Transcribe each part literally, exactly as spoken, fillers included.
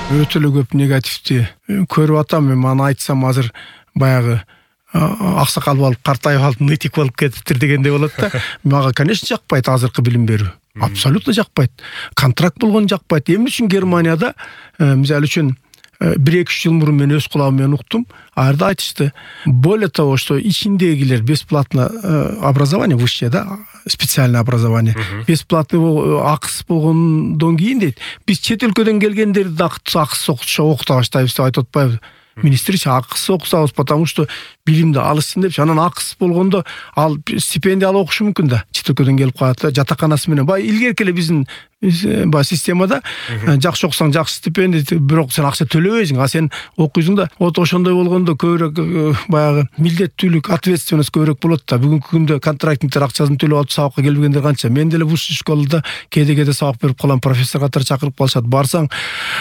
Өтө эле көп негативди көрүп атам. Мен аны айтсам азыр баягы аксакал болуп, картайып алып, нытик болуп кетиптир дегенде болот да. Мага, конечно, жакпайт азыркы билим берүү. Абсолютно жакпайт. Контракт болгон жакпайт. Эмне үчүн Германияда, мисалы үчүн бир эки жыл мурун мен өз кулагым менен уктум. Айрда айтышты. Более того, что ичиндегилер бесплатно образование высшее, да, специальное образование. Бесплатный акыс болгондон кийин дейт. Биз чет өлкөдөн келгендерди да акысыз окута баштайбыз деп айтып атпайбы? Министрчи акысыз окусабыз, потому что билимди алышсын депчи. Анан акысыз болгондо ал стипендия алып окушу мүмкүн да. Чет өлкөдөн келип калат да, жатаканасы менен. Бай илгерки эле биздин ба системада жакшы окусаң жакшы стипендия, бирок сен акча төлөбөйсүң, а сен окуйсуң да. Вот ошондой болгондо көбүрөөк баягы милдеттүүлүк, ответственность көбүрөөк болот да. Бүгүнкү күндө контрактниктер акчасын төлөп алып сабакка келбегендер канча. Мен деле высший школада кээде-кээде сабак берип калам, профессор катары чакырып калышат. Барсаң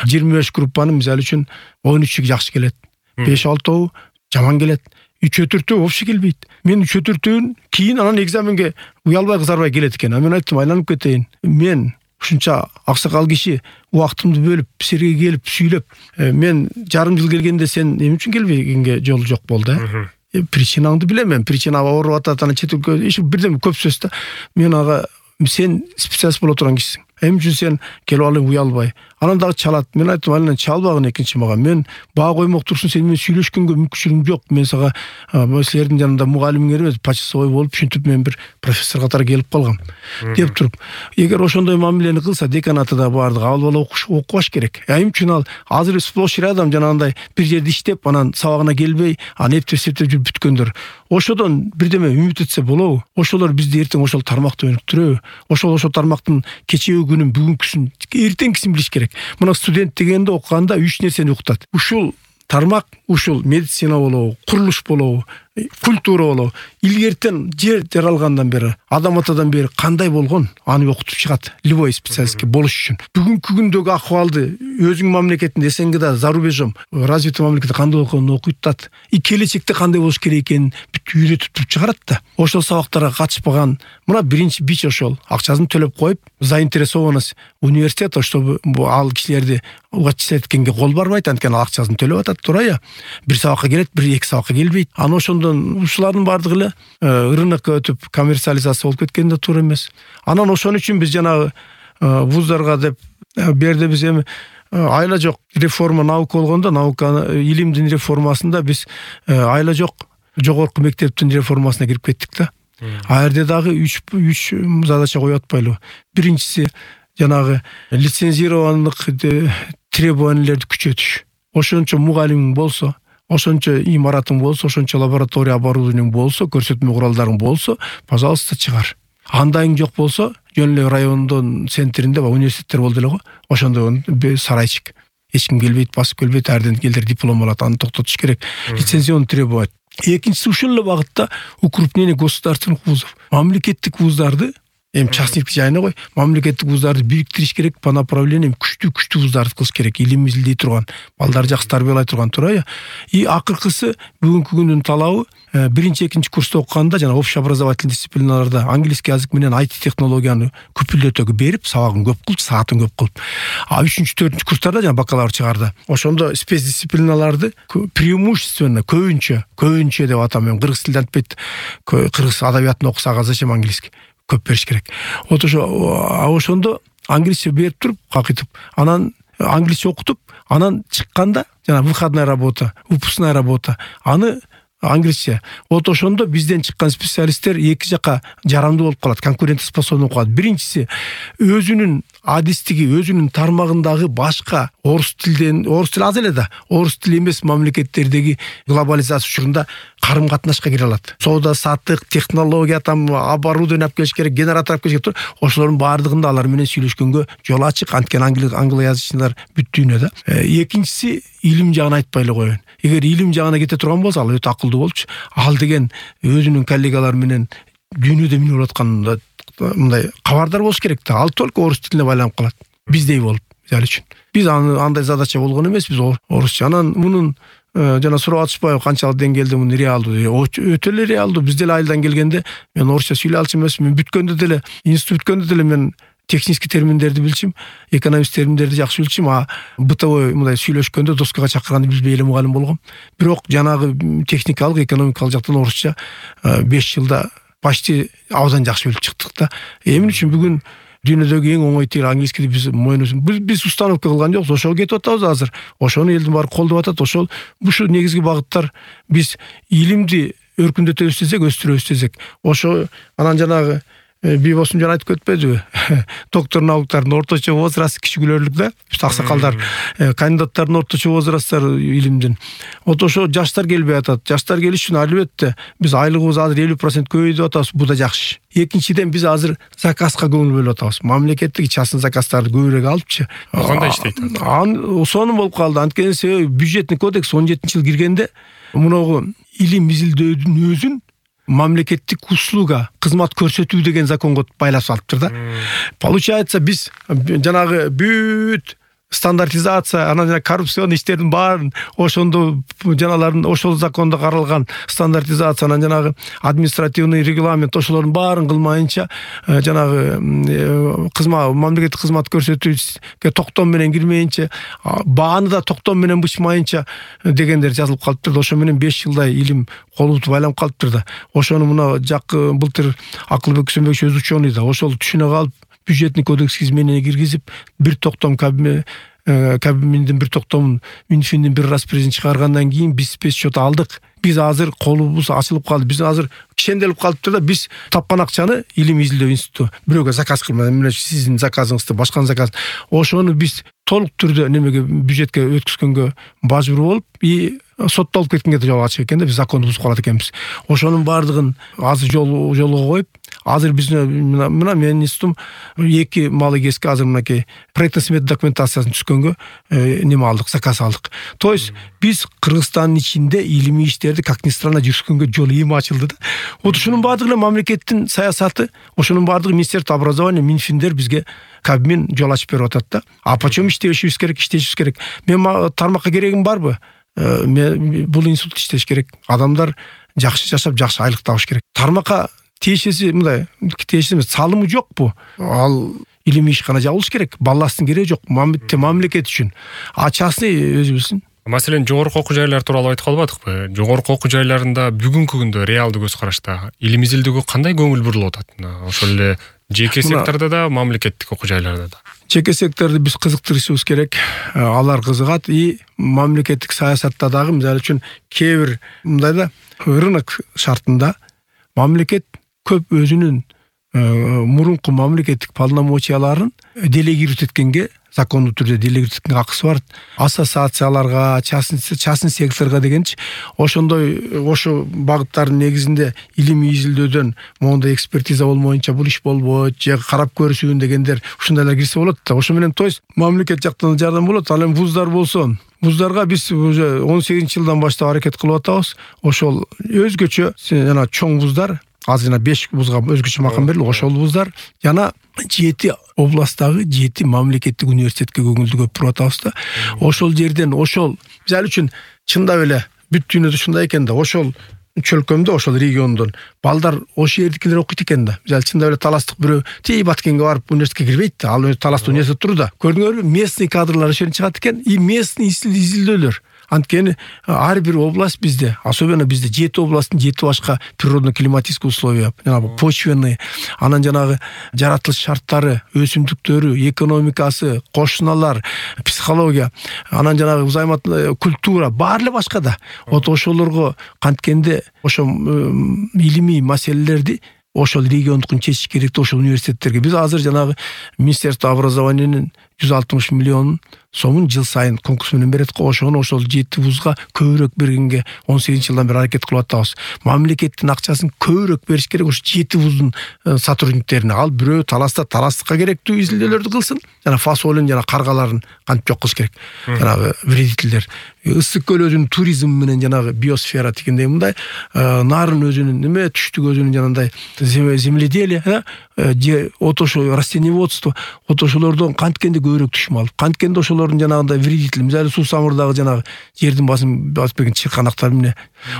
жыйырма беш группанын мисалы үчүн он үчү жакшы келет. беш алтоо жаман келет. үчөө төртөө вообще келбейт. Мен үчөө төртөөнүн кийин анан экзаменге уялбай кызарбай келет экен. Мен айттым, айланып кетейин. Мен ушунча аксакал киши убактымды бөлүп, силерге келип сүйлөп, мен жарым жыл келгенде сен эмне үчүн келбегенге жол жок болду, э? Причинаңды билем мен. Причина ооруп атат, анан чет өлкө иш бирден көп сөз да. Мен ага, сен специалист боло турган кишисиң. Эмне үчүн сен келип алып уялбай? Анан дагы чалат. Мен айттым, анан чалбагын экинчи мага. Мен баа коймок турсун, сен менен сүйлөшкөнгө мүмкүнчүлүгүм жок. Мен сага силердин жанында мугалимиңер эмес, почасовой болуп, ушинтип мен бир профессор катары келип калгам деп туруп. Эгер ошондой мамилени кылса, деканаты да бардыгы ал бала окубаш керек. Эмне үчүн ал азыр сплошь рядом жанагындай бир жерде иштеп, анан сабагына келбей, анан эптеп септеп жүрүп бүткөндөр. Ошодон бирдеме үмүт этсе болобу? Ошолор бизди эртең ошол тармакта өнүктүрөбү? Ошол ошол тармактын кечеги күнүн, бүгүнкүсүн, эртеңкисин билиш керек. Мына студент дегенде окуганда үч нерсени уктат. Ушул тармак, ушул медицина болобу, курулуш болобу, культура болобу, илгертен жер жаралгандан бери, адам атадан бери кандай болгон, аны окутуп чыгат. Любой специалистке болуш үчүн. Бүгүнкү күндөгү акыбалды өзүң мамлекетинде, СНГда, за рубежом, развитый мамлекетте кандай болгонун окуйтат. И келечекте кандай болуш керек экенин бүт үйрөтүп чыгарат да. Ошол сабактарга катышпаган, мына биринчи бич ошол. Акчасын төлөп коюп, заинтересованность университета, чтобы ал кишилерди вачислеткенге кол барбайт, анткени акчасын төлөп атат, турая. Бир сабакка келет, бир эки сабакка келбейт. Аны ошондон ушулардын бардыгы эле рынокко өтүп коммерциализация болуп кеткен да туура эмес. Анан ошон үчүн биз жанагы вуздарга деп берде биз эми айла жок реформа наука болгондо, наука илимдин реформасында биз айла жок жогорку мектептин реформасына кирип кеттик да. А жерде дагы үч үч задача коюп атпайлыбы? Биринчиси жанагы лицензированных требованиялерди күчөтүш. Ошончо мугалимиң болсо, ошончо имаратың болсо, ошончо лаборатория оборудованиең болсо, көрсөтмө куралдарың болсо, пожалуйста, чыгар. Андайың жок болсо, жөн эле райондон центринде университеттер болду эле го. Ошондо сарайчик. Эч ким келбейт, басып келбейт, арден келдер диплом алат, аны токтотуш керек. Лицензионный требовать. Экинчиси ушул эле багытта укрупнение государственных вузов. Мамлекеттик вуздарды, эми частник жайына кой, мамлекеттик вуздарды бириктириш керек, по направлениям күчтүү-күчтүү вуздарды кылыш керек, илим изилдей турган, балдар жакшы тарбиялай турган турая. И акыркысы бүгүнкү күндүн талабы, биринчи, экинчи курста окуганда жана общеобразовательный дисциплиналарда английский язык менен ай ти технологияны күпүлдөтөгө берип, сабагын көп кылып, саатын көп кылып. А үчүнчү, төртүнчү курстарда жана бакалавр чыгарда ошондо спецдисциплиналарды преимущественно көбүнчө, көбүнчө деп атам, мен кыргыз тилинде айтпайт, кыргыз адабиятын окусак зачем английский? Көп бериш керек. Вот ошо ошондо англисче берип туруп, какытып, анан англисче окутуп, анан чыкканда жана выходная работа, выпускная работа, аны англисче. Вот ошондо бизден чыккан специалисттер эки жака жарамдуу болуп калат, конкурентоспособный болуп калат. Биринчиси өзүнүн адистиги, өзүнүн тармагындагы башка орус тилден, орус тили аз эле да, орус тили эмес мамлекеттердеги глобализация учурунда карым катнашка кире алат. Соода саттык, технология, там оборудование алып келиш керек, генератор алып келиш керек. Ошолордун баардыгында алар менен сүйлөшкөнгө жол ачык, анткени англоязычнылар бүт дүйнө да. Экинчиси илим жагын айтпай эле коеюн. Эгер илим жагына кете турган болсо, ал өтө акылдуу болчу. Ал деген өзүнүн коллегалары менен дүйнөдө эмне болуп атканында мындай кабардар болуш керек да. Ал только орус тилине байланып калат. Биздей болуп, мисалы үчүн. Биз аны андай задача болгон эмес, биз орусча. Анан мунун жана сурап атышпайбы канчалык деңгээлде муну реалдуу? Өтө эле реалдуу. Биз деле айылдан келгенде мен орусча сүйлөй алчу эмесмин. Бүткөндө деле, институт бүткөндө деле мен технический терминдерди билчим, экономист терминдерди жакшы билчим, а бытовой мындай сүйлөшкөндө доскага чакырганда билбей эле мугалим болгом. Бирок жанагы техникалык, экономикалык жактан орусча беш жылда почти абдан жакшы билип чыктык да. Эмне үчүн бүгүн дүйнөдөгү эң оңой тил английскийди биз мойнубуз биз, биз установка кылган жокпуз, ошого кетип атабыз азыр. Ошону элдин баары колдоп атат. Ошол бушу негизги багыттар биз илимди өркүндөтөбүз десек, өстүрөбүз десек. Ошо анан жанагы Бибосун жана айтып кетпедиби? Доктор наукалардын орточо возрасты кичигүлөрлүк да. Биз аксакалдар, кандидаттардын орточо возрасттары илимдин. Вот ошо жаштар келбей атат. Жаштар келиш үчүн албетте биз айлыгыбыз азыр элүү процент көбөйдүп атабыз. Бу да жакшы. Экинчиден биз азыр заказга көңүл бөлүп атабыз. Мамлекеттик частный заказдарды көбүрөөк алыпчы. Кандай иштейт? Сонун болуп калды. Анткени себеби бюджетный кодекс он жетинчи жыл киргенде муногу илим изилдөөдүн өзүн мамлекеттик услуга, кызмат көрсөтүү деген законго байлап салыптыр да. Получается биз жанагы бүт стандартизация, анан жана коррупцион иштердин баарын ошондо жаналарын ошол закондо каралган стандартизация, анан жанагы административный регламент ошолордун баарын кылмайынча жанагы кызмат мамлекеттик кызмат көрсөтүүгө токтом менен кирмейинче, бааны да токтом менен бычмайынча дегендер жазылып калыптыр. Ошо менен беш жылдай илим колубуз байланып калыптыр да. Ошону мына жакы былтыр Акылбек Күсөнбекович өзү ученый да, ошол түшүнө калып бюджетный кодекс изменения киргизип, бир токтом кабинеттин бир токтомун Минфиндин бир распоряжение чыгаргандан кийин биз спецсчет алдык. Биз азыр колубуз ачылып калды. Биз азыр кишенделип калыптыр да. Биз тапкан акчаны илим изилдөө институту бирөөгө заказ кылмай, эмне сиздин заказыңызды, башканын заказ. Ошону биз толук түрдө немеге бюджетке өткүзгөнгө мажбур болуп, и соттолуп кеткенге да жол ачык экен да, биз законду бузуп калат экенбиз. Ошонун баардыгын азыр жол жолго коюп, азыр биздин мына менин институтум эки малы кеске азыр мынакей проектно смета документациясын түзгөнгө неме алдык, заказ алдык. То есть биз Кыргызстандын ичинде илимий иштерди как ни странно жүргүзгөнгө жол эми ачылды да. Вот ушунун баардыгы мамлекеттин саясаты, ошонун баардыгы Министерство образования, Минфиндер бизге Кабмин жол ачып берип атат да. А почему иштешибиз керек, иштешибиз керек? Мен тармакка керегим барбы? Мен бул институт иштеш керек. Адамдар жакшы жашап, жакшы айлык табыш керек. Тармакка тиешеси мындай, тиешеси салымы жокпу? Ал илимий ишкана жабылыш керек. Балластын кереги жок. Мамлекет үчүн. А частный өзү билсин. Маселен, жогорку окуу жайлар тууралуу айтып калбадыкпы? Жогорку окуу жайларында бүгүнкү күндө реалдуу көз карашта илим изилдөөгө кандай көңүл бурулуп атат? Ошол эле жеке сектордо да, мамлекеттик окуу жайларда да. Жеке секторду биз кызыктырышыбыз керек. Алар кызыгат, и мамлекеттик саясатта дагы мисалы үчүн кээ бир мындай да рынок шартында мамлекет көп өзүнүн мурунку мамлекеттик полномочияларын делегировать эткенге, закондуу түрдө делегировать эткенге акысы бар. Ассоциацияларга, частный частный секторго дегенчи, ошондой ошо багыттардын негизинде илимий изилдөөдөн моундай экспертиза болмоюнча бул иш болбойт, же карап көрүшүүн дегендер ушундайлар кирсе болот да. Ошо менен то есть мамлекет жактан жардам болот. Ал эми вуздар болсо, вуздарга биз уже он сегизинчи жылдан баштап аракет кылып атабыз. Ошол өзгөчө жана чоң вуздар, азыр жана беш вузга өзгөчө макам берилди. Ошол вуздар жана жети областтагы жети мамлекеттик университетке көңүлдү көп буруп атабыз да. Ошол жерден ошол мисалы үчүн чындап эле бүт дүйнөдө ушундай экен да. Ошол чөлкөмдө, ошол региондон балдар ошол жердикилер окуйт экен да. Мисалы чындап эле таластык бирөө тей Баткенге барып университетке кирбейт да. Ал таласта университет турду да. Көрдүңөрбү? Местный кадрлар ошол чыгат экен, и местный изилдөөлөр. Анткени ар бир область бизде, особенно бизде жети областтын жети башка природно-климатический условия, жанагы почвенный, анан жанагы жаратылыш шарттары, өсүмдүктөрү, экономикасы, кошуналар, психология, анан жанагы узаймат культура баары эле башка да. Вот ошолорго канткенде ошо илимий маселелерди ошол региондукун чечиш керек да, ошол университеттерге. Биз азыр жанагы Министерство образованиянын жүз алтымыш миллион сомун жыл сайын конкурс менен берет го. Ошону ошол жети вузга көбүрөөк бергенге он сегизинчи жылдан бери аракет кылып атабыз. Мамлекеттин акчасын көбүрөөк бериш керек ошо жети вуздун сотрудниктерине. Ал бирөө таласта таластыкка керектүү изилдөөлөрдү кылсын, жана фасолин жана каргаларын кантип жок кылыш керек. Жанагы вредительдер. Ысык көл өзүнүн туризм менен жанагы биосфера дегендей мындай, нарын өзүнүн неме, түштүк өзүнүн жанагындай земледелие, же ото ошо растениеводство, ото ошолордон канткенде көбүрөөк түшүм алып, канткенде ошолордун жанагындай вредитель, мисалы суу самырдагы жанагы жердин басын басып берген чырканактар эмне,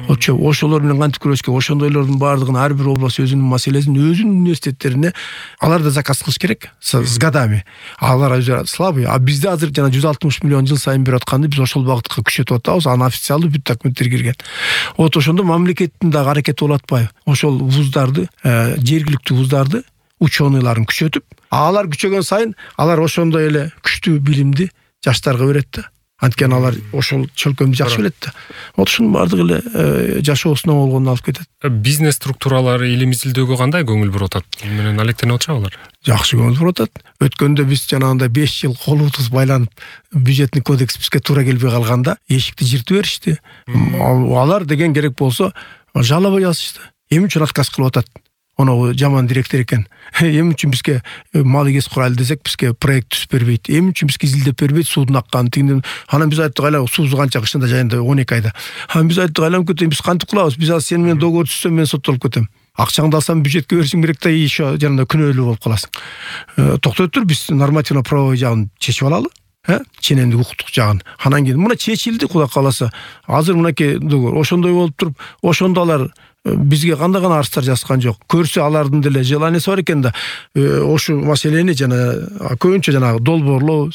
ошолор менен кантип күрөшкө, ошондойлордун баардыгын ар бир область өзүнүн маселесин өзүнүн университеттерине алар да заказ кылыш керек с годами. Алар слабый, а бизде азыр жана жүз алтымыш миллион жыл сайын берип атканды биз ошол багытка күчөтүп атабыз, аны официалдуу бүт документтер кирген. Вот ошондо мамлекеттин дагы аракети болуп атпайбы? Ошол вуздарды, жергиликтүү вуздарды, ученыйларын күчөтүп, алар күчөгөн сайын алар ошондой эле күчтүү билимди жаштарга берет да. Анткени алар ошол чөлкөмдү жакшы билет да. Вот ушунун баардыгы эле жашоосуна болгонун алып кетет. Бизнес структуралары элим изилдөөгө кандай көңүл буруп атат? Бул менен алектенип атышабы алар? Жакшы көңүл буруп атат. Өткөндө биз жанагындай беш жыл колубуз байланып, бюджетный кодекс бизге туура келбей калганда эшикти жыртып беришти. Алар деген керек болсо жалоба жазышты. Эмне үчүн отказ кылып атат? Оны жаман директор экен. Эмне үчүн бизге мал эгес курайлы десек, бизге проект түзүп бербейт. Эмне үчүн бизге изилдеп бербейт, суудун акканын тигинден. Анан биз айттык, айла суусу канча кышында жайында он эки айда. Анан биз айттык, айланып кетейин, биз кантип кылабыз? Биз азыр сен менен договор түзсөм, мен соттолуп кетем. Акчаңды алсам бюджетке беришиң керек да, еще жанында күнөөлүү болуп каласың. Токтой тур, биз нормативно правовой жагын чечип алалы. Э? Ченемдик укуктук жагын. Анан кийин мына чечилди, Кудай кааласа. Азыр мынакей договор ошондой болуп туруп, ошондо алар бизге кандай гана арыздар жазган жок. Көрсө алардын деле желаниясы бар экен да. Ошо маселени жана көбүнчө жанагы долбоорлоо,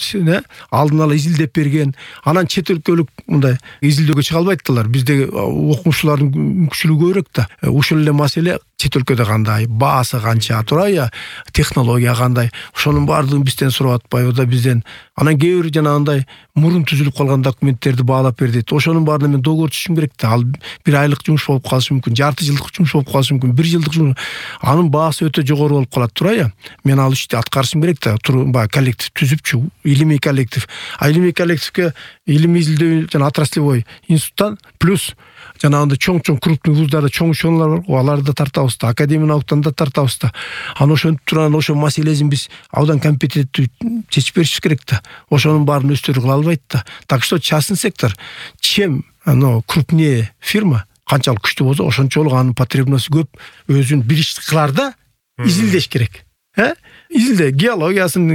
алдын ала изилдеп берген. Анан чет өлкөлүк мындай изилдөөгө чыга албайттылар. Бизде окумуштуулардын мүмкүнчүлүгү көбүрөөк да. Ушул эле маселе чет өлкөдө кандай, баасы канча, турая, технология кандай, ошонун баардыгын бизден сурап атпайбы да бизден. Анан кээ бир жанагындай мурун түзүлүп калган документтерди баалап бер дейт. Ошонун баарына мен договор түзүшүм керек да. Ал бир айлык жумуш болуп калышы мүмкүн, жарты жылдык жумуш болуп калышы мүмкүн, бир жылдык жумуш. Анын баасы өтө жогору болуп калат, турая. Мен ал ишти аткарышым керек да. Баягы коллектив түзүпчү, илимий коллектив. А илимий коллективге илим изилдөө жана отраслевой институттан плюс жанагындай чоң-чоң крупный вуздарда чоң ученыйлар бар, аларды да тартабыз да, академия науктан да тартабыз да. Аны ошентип турган ошо маселесин биз абдан компетенттүү чечип беришибиз керек да. Ошонун баарын өздөрү кыла албайт да. Так что частный сектор, чем оно крупнее фирма, канчалык күчтүү болсо, ошончолук анын потребности көп, өзүн бир ишти кылар да, изилдеш керек. Э? Изилде геологиясын,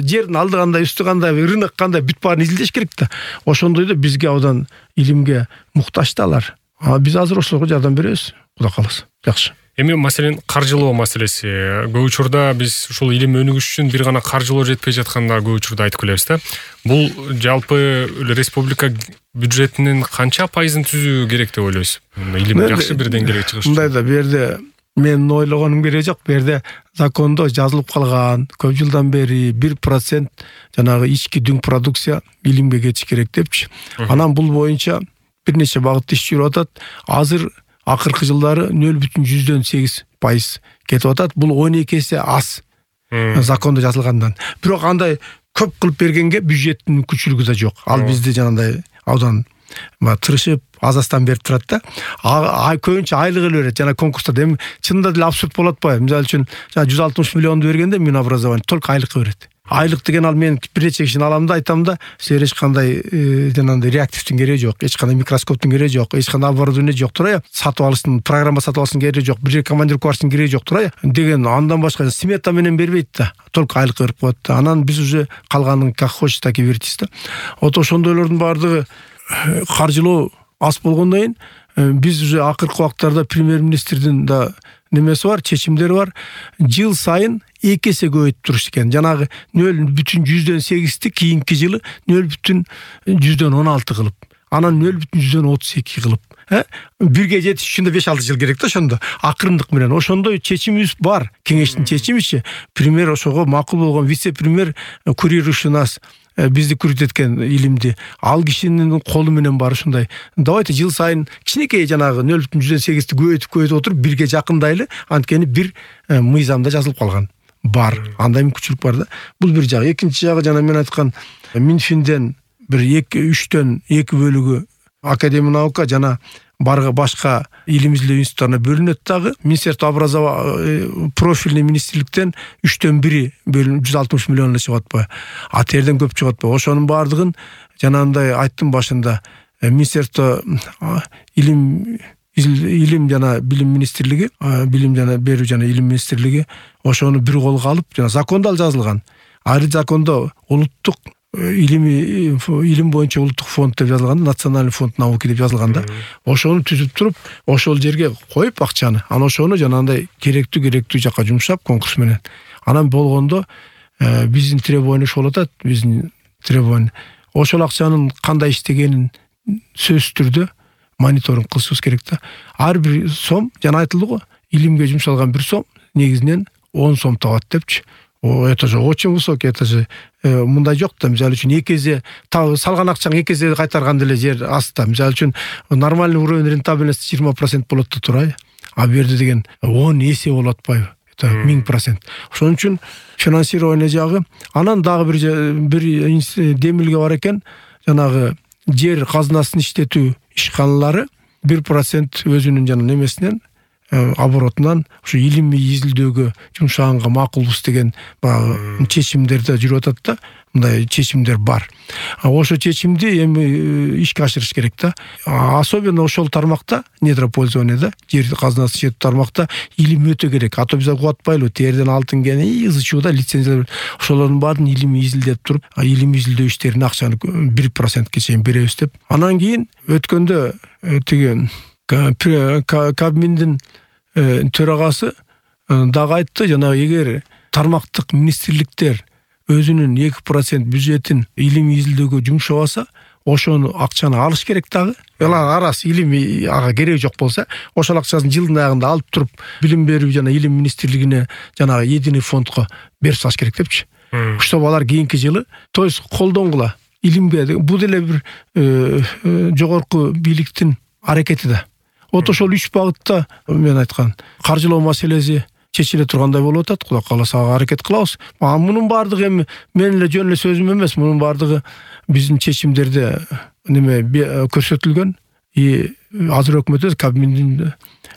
жердин алды кандай, үстү кандай, рынок кандай, бүт баарын изилдеш керек да. Ошондой да бизге абдан илимге муктаж да алар. А биз азыр ошолорго жардам беребиз, Кудай кааласа. Жакшы. Эми маселен каржылоо маселеси. Көп учурда биз ушул илим өнүгүш үчүн бир гана каржылоо жетпей жатканда көп учурда айтып келебиз да. Бул жалпы республика бюджетинин канча пайызын түзүү керек деп ойлойсуз? Илим жакшы бир деңгээлге чыгыш. Мындай да, бу жерде мен ойлогонум кереги жок. Бу жерде закондо жазылып калган, көп жылдан бери бир процент жанагы ички дүң продукция илимге кетиш керек депчи. Анан бул боюнча бир нече багытта иш жүрүп атат. Азыр акыркы жылдары нөл бүтүн жүздөн сегиз пайыз кетип атат. Бул он эки эсе аз закондо жазылгандан. Бирок андай көп кылып бергенге бюджеттин мүмкүнчүлүгү да жок. Ал бизди жанагындай абдан тырышып азастан берип турат да. А көбүнчө айлык эле берет. Жана конкурстарда эми чынында деле абсурд болот атпайбы? Мисалы үчүн жана жүз алтымыш миллионду бергенде Минобразование только айлыкка берет. Айлык деген ал мен бир нече кишини алам да айтам да, силер эч кандай жанагындай реактивдин кереги жок, эч кандай микроскоптун кереги жок, эч кандай оборудование жок, турая. Сатып алыштын, программа сатып алыштын кереги жок, бир жерге командировка барыштын кереги жок, турая. Деген андан башка смета менен бербейт да, только айлык берип коет да. Анан биз уже калганын как хочешь так и вертись да. Вот ошондойлордун баардыгы каржылоо аз болгондон кийин биз уже акыркы убактарда премьер-министрдин да немеси бар, чечимдери бар. Жыл сайын эки эсе көбөйтүп туруш экен. Жанагы нөл бүтүн жүздөн сегизди кийинки жылы нөл бүтүн жүздөн он алты кылып, анан нөл бүтүн жүздөн отуз эки кылып, э? Бирге жетиш үчүн да беш алты жыл керек да ошондо. Акырындык менен ошондой чечимибиз бар. Кеңештин чечимичи, премьер ошого макул болгон, вице-премьер курирующий нас бизди күрөтөткөн илимди, ал кишинин колу менен бар ушундай. Давайте жыл сайын кичинекей жанагы нөл бүтүн жүздөн сегизди көбөйтүп көбөйтүп отуруп бирге жакындайлы, анткени бир мыйзамда жазылып калган. Бар, андай мүмкүнчүлүк бар да. Бул бир жагы. Экинчи жагы жана мен айткан Минфинден бир эки үчтөн эки бөлүгү академия наука жана барга башка илим изилдөө институттарына бөлүнөт дагы. Министерство образования профильный министрликтен үчтөн бири бөлүнүп жүз алтымыш миллион эле чыгып атпайбы? А терден көп чыгып атпайбы? Ошонун баардыгын жанагындай айттым башында, Министерство илим илим жана билим министрлиги, билим жана берүү жана илим министрлиги ошону бир колго алып, жана закондо ал жазылган. ар закондо улуттук илим илим боюнча улуттук фонд деп жазылган, национальный фонд науки деп жазылган да. Ошону түзүп туруп, ошол жерге коюп акчаны, анан ошону жанагындай керектүү керектүү жакка жумшап конкурс менен. Анан болгондо биздин требование ошол атат, биздин требование. Ошол акчанын кандай иштегенин сөзсүз түрдө мониторинг кылышыбыз керек да. Ар бир сом, жана айтылды го, илимге жумшалган бир сом негизинен он сом табат депчи. О, это же очень высокий, это же мындай жок да, мисалы үчүн эки эсе салган акчаңы эки эсе кайтарган деле жер аста. Мисалы үчүн нормальный уровень рентабельности жыйырма процент болот да турай. А бу жерде деген он эсе болот атпайбы? Это миң процент. Ошон үчүн финансирование жагы, анан дагы бир бир демилге бар экен, жанагы жер казынасын иштетүү ишканалары бир процент өзүнүн жана немесинен оборотунан ушу илимий изилдөөгө жумшаганга макулбуз деген баягы чечимдерде жүрүп атат да. Мындай чечимдер бар. Ошо чечимди эми ишке ашырыш керек да. Особенно ошол тармакта, недропользование, жер казынасы иштетүү тармакта илим өтө керек. А то биз угуп атпайлыбы, терден алтын кен ызы чууда лицензиялар. Ошолордун баарын илимий изилдеп туруп, илимий изилдөө иштерине акчаны бир процентке чейин беребиз деп. Анан кийин өткөндө тиги Кабминдин төрагасы дагы айтты, жана эгер тармактык министрликтер өзүнүн эки процент бюджетин илимий изилдөөгө жумшабаса, ошону акчаны алыш керек дагы. Ала арас илимий ага кереги жок болсо, ошол акчасын жылдын аягында алып туруп, билим берүү жана илим министрлигине жана единый фондко берип салыш керек депчи. Чтобы алар кийинки жылы, то есть колдонгула илимге. Бул деле бир жогорку бийликтин аракети да. Вот ошол үч багытта мен айткан каржылоо маселеси чечиле тургандай болуп атат. Кудай кааласа аракет кылабыз. А мунун баардыгы эми мен эле жөн эле сөзүм эмес, мунун баардыгы биздин чечимдерде неме көрсөтүлгөн. И азыр өкмөтү Кабминдин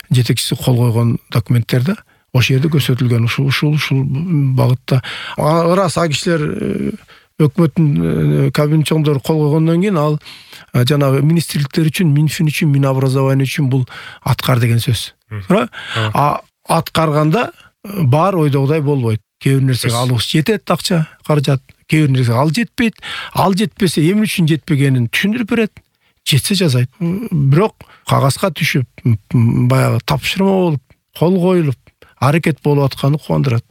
жетекчиси кол койгон документтерде ошол жерде көрсөтүлгөн. Ушул ушул ушул багытта рас а кишилер өкмөттүн Кабмин чоңдору кол койгондон кийин ал жанагы министрликтер үчүн, Минфин үчүн, Минобразование үчүн бул аткар деген сөз. А аткарганда бар ойдогудай болбойт. Кээ бир нерсеге алыбыз жетет акча, каражат, кээ бир нерсеге ал жетпейт. Ал жетпесе эмне үчүн жетпегенин түшүндүрүп берет. Жетсе жазайт. Бирок кагазга түшүп, баягы тапшырма болуп, кол коюлуп, аракет болуп атканы кубандырат.